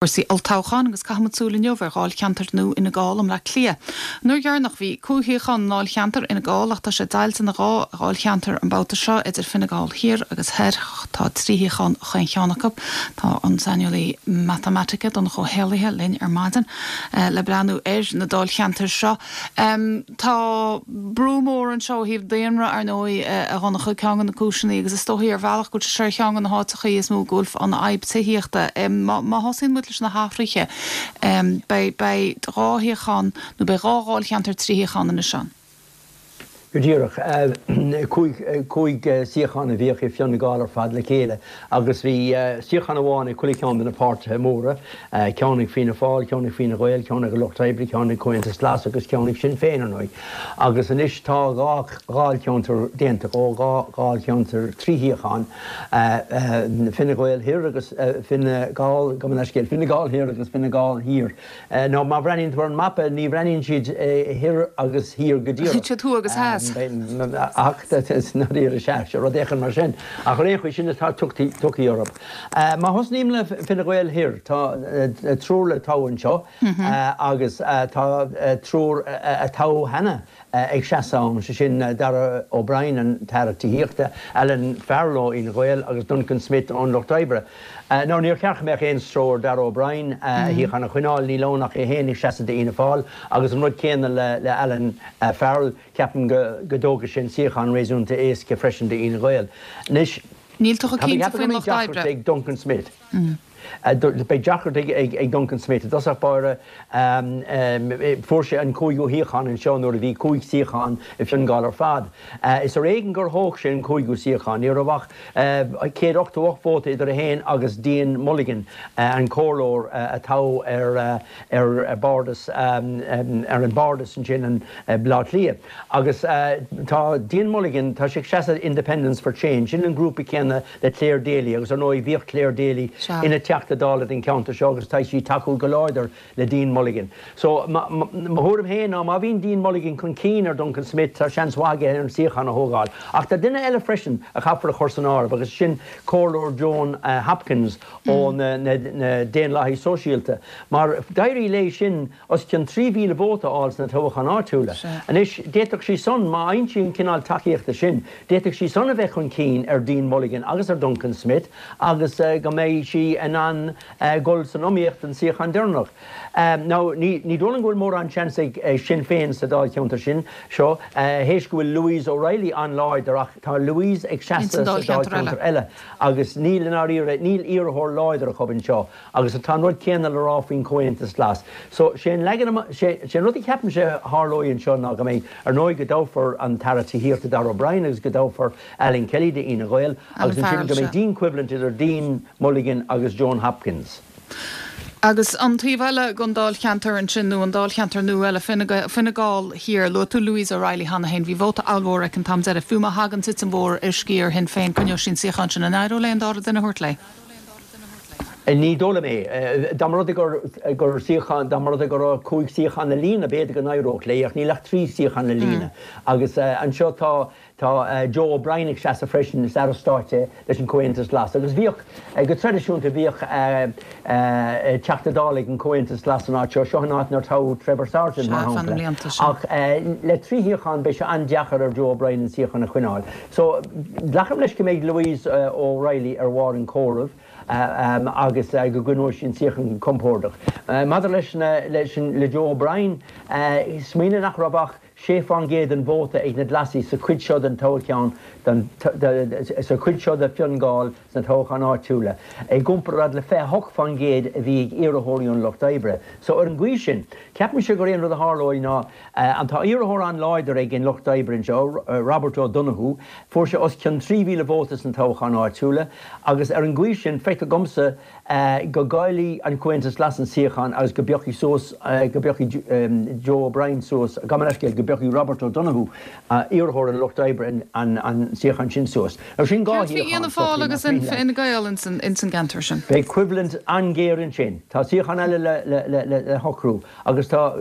Cúrsaí olltoghcháin agus caithfimid súil inniu ar dháilcheantar nua Fhine Gall i mBleá Cliath. An uair dheireanach bhí cúig shuíochán i ndáilcheantar Fhine Gall ach tá sé deighilte ina dhá dháilcheantar an babhta seo idir Fine Gall Thiar agus Thoir. Tá trí shuíochán chaon cheann acu. Tá an saineolaí matamaitice Donncha Ó hÉallaithe linn ar maidin le breathnú ar na dáilcheantair seo. Tá brú mór anseo ó thaobh daonra, ar ndóigh, a Dhonncha, ceann de na cúiseanna, agus is dóichí ar bhealach go bhfuil sé seo ar cheann de na háiteachaí is mó go bhfuil an fhadhb tithíochta. Má thosaíonn muid leis na hathruithe, beidh dhá shuíochán, nó beidh dhá dháilcheantar 3 shuíochán anois ann. Go díreach. 5 suíochán a bhíodh i Fine Gall ar fad le chéile agus bhí suíochán amháin ag chuile cheann de na páirtithe móra, ceann ag Fianna Fáil, ceann ag Fine Gael, ceann ag an Lucht Oibre, ceann ag Comhaontas Glas agus ceann ag Sinn Féin, ar ndóigh. Agus anois tá dhá dháilcheantar déanta dhó, dhá dháilcheantar 3 shuíochán, Fine Gael Thoir agus Fine Gall, gabh mo leithscéal, Fine Gall Thoir agus Fine Gall Thiar. Nó má bhreathnaíonn tú ar an mapa, ní bhreathnaíonn siad thoir agus thiar go díreach. Siad thuaidh agus theas. Ach ndáiríre, sea, sea, rud éicint mar sin. Ach ar aon chaoi, sin atá tugtha orthu. Má thosnaím le Fine Gael Thoir, tá triúr le toghadh anseo agus tá triúr a toghadh cheana. ag seasamh ann, sé sin Darragh O'Brien, an tAire Tithíochta, Alan Farrell ó Fhine Gael agus Duncan Smith ón Lucht Oibre. Now níor cheart go mbeadh aon stró ar Darragh O'Brien a shuíochán a choinneáil, níl ann ach é féin ag seasamh d'Fhianna Fáil agus an rud céanna le Alan Farrell, ceapaim go dtógfaidh sé an suíochán réasúnta éasca freisin d'Fhine Gael. Anois, Níl tú chomh tá mé cinnte ag ceapadh go faoin mbeidh Lucht deacracht Oibre. ag Duncan Smith. Beidh deacracht ag Duncan Smith. I dtosach báire, fuair sé an cúigiú shuíochán anseo nuair a bhí cúig suíochán i Fine Gall ar fad. Is ar éigean gur thóg sé an cúigiú suíochán. Ní raibh ach 188 vóta idir é féin agus Dean Mulligan, an comhairleoir a toghadh ar bardas ar an bardas ansin i mBleá Cliath. Agus tá Dean Mulligan, tá sé ag seasamh Independents for Change, sin an grúpa céanna le Clare Daly agus ar ndóigh bhíodh Clare Daly ina Teachta Dála don cheantar seo agus tá sí ag tacú go láidir le Dean Mulligan. So mo thuairim féin ná má bhíonn Dean Mulligan chun cinn ar Duncan Smith tá seans mhaith aige ar an suíochán a thógáil. Ach tá duine eile freisin a chaithfear a chur san áireamh agus sin Comhairleoir Joan Hopkins ó na Daonlathaigh Sóisialta mar d'éirigh léi sin os cionn 3,000 vóta a fháil sna toghcháin áitiúla. Anois, d'fhéadfadh sí san, má fhaigheann sí an cineál tacaíochta sin, d'fhéadfadh sí san a bheith chun cinn ar Dean Mulligan agus ar Duncan Smith agus go mbeidh sí in ann dul san iomaíocht don suíochán deireanach. Now, ní dóigh liom go bhfuil mórán seans ag Sinn Féin sa dáilcheantar sin seo, théis go bhfuil Louise O'Reilly an-láidir ach tá Louise ag seasamh sa dáilcheantar eile agus níl, i ndáiríre, níl iarrthóir láidir acu anseo. Agus tá an rud céanna le rá faoin Chomhaontas Glas. So, sé an leagan amach, sé, sé an rud a cheapaimse a tharlóidh anseo ná go mbeidh, ar ndóigh, go dtoghfar an tAire Tithíochta Darragh O'Brien agus go dtoghfar Alan Kelly d'Fhine Gael Alan agus ansin Farrell, go mbeidh sea. dianchoimhlint idir Dean Mulligan agus Joan Hopkins. Agus an taobh eile den dáilcheantar ansin, nó an dáilcheantar nua eile, Fine Gael, Fine Gall Thiar, luaigh tú Louise O'Reilly cheana féin, bhí vóta ollmhór aici an t-am deiridh, fiú má thagann titim mhór ar sciar Shinn Féin, coinneoidh sí an suíochán sin. An éireoidh léi an dara duine a thabhairt léi? Ní dóigh liom é. Dá mba rud é gur suíochán, dá mba rud é go raibh cúig suíochán le líonadh, b'fhéidir go n-éireodh léi, ach níl ach trí suíochán le líonadh. Agus anseo tá, tá Joe O'Brien ag seasamh freisin, is Aire Stáit é leis an Chomhaontas Glas. Agus bhíodh, go traidisiúnta, bhíodh Teachta Dála ag an Chomhaontas Glas san áit seo. Seo an áit inar toghadh Trevor Sargent, mar Sea, fá na shampla. mblianta, sea. Ach le trí shuíochán, beidh sé an-deacair ar Joe O'Brien an suíochán a choinneáil. So, glacaim leis go mbeidh Louise O'Reilly ar bharr an chomhairimh agus go gcoinneoidh sí an suíochán go compordach. Maidir leis na, leis an, le Joe O'Brien, smaoinigh nach raibh ach 6% den vóta ag na Glasaigh sa chuid seo den toghchán, den, sa chuid seo de Fine Gall sna toghcháin áitiúla, i gcomparáid le 28% a bhí ag iarrthóirí an Lucht Oibre. So, ar an gcaoi sin, ceapaimse gur é an rud a tharlóidh ná, An Tá iarrthóir an-láidir ag an Lucht Oibre anseo, Robert O'Donoghue. Fuair sé os cionn 3,000 vóta sna toghcháin áitiúla agus ar an gcaoi sin, feictear domsa go gcaillfidh an Comhaontas Glas an suíochán agus go bpiocfaidh suas, go bpiocfaidh Joe O'Brien suas, gabh mo leithscéal, go. bpiocfaidh Robert O'Donoghue, iarrthóir an Lucht Oibre, an suíochán sin suas. Now sin 2 Céard faoi shuíochán Fhianna Fáil agus Fine Gael ins an gceantar sin? Beidh coimhlint an-ghéar ansin. Tá suíochán eile le shocrú agus tá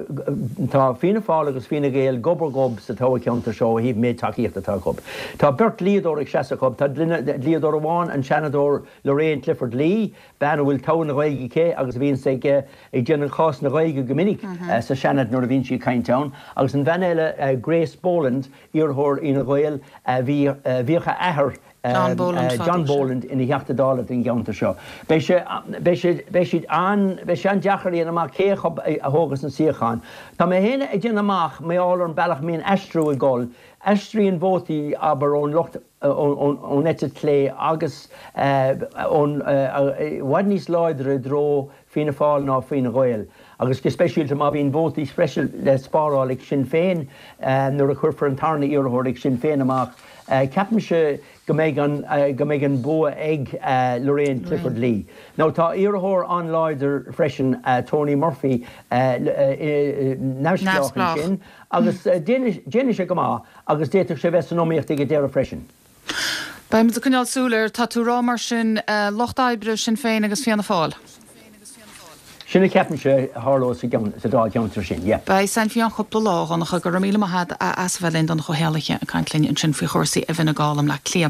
tá Fianna Fáil agus Fine Gael gob ar ghob sa toghcheantar seo ó thaobh méid tacaíochta atá acu. Tá beirt dlíodóir ag seasamh acu. Tá dlíodóir amháin, an Seanadóir Lorraine Clifford Lee, bean a bhfuil togha na Gaeilge aici agus a bhíonns ag ag déanamh chás na Gaeilge go minic sa Seanad nuair a bhíonn sí ag caint ann, agus an bhean eile, Grace Boland, iarrthóir Fhine Gael, bhí bhíodh a athair, John Boland fadó, John Boland, ina Theachta Dála don gceantar seo. Beidh sé beidh sé beidh siad an beidh sé an-deacair a dhéanamh amach cé acu a thógas an suíochán. Tá mé féin ag déanamh amach, mar gheall ar an bealach a mbíonn aistriú ag dul, aistríonn vótaí, abair, ón lucht ón eite chlé agus ón i bhfad níos láidre i dtreo Fianna Fáil ná Fine Gael agus go speisialta má bhíonn vótaí speisialta le spáráil ag Sinn Féin nuair a chuirfear an tarna iarrthóir ag Sinn Féin amach. Ceapaimse go mbeidh an go mbeidh an bua ag Lorraine Clifford Lee. Now tá iarrthóir an-láidir freisin Tony Murphy neamhspleách ansin agus déanfaidh sé go maith. Agus d'fhéadfadh sé bheith san iomaíocht ag an deireadh freisin. Beidh muid ag coinneáil súil air. Tá tú ag rá mar sin, Lucht Oibre, Sinn Féin agus Fianna Fáil. Sin a cheapaimse a tharlóidh sa dáilcheantar sin, yeah. Beidh san faoi cheann cúpla lá, a Dhonncha. Go raibh míle maith agat as a bheith linn, Donncha Ó hÉallaithe ag caint linn ansin faoi chúrsaí i bhFine Gall i mBleá Cliath.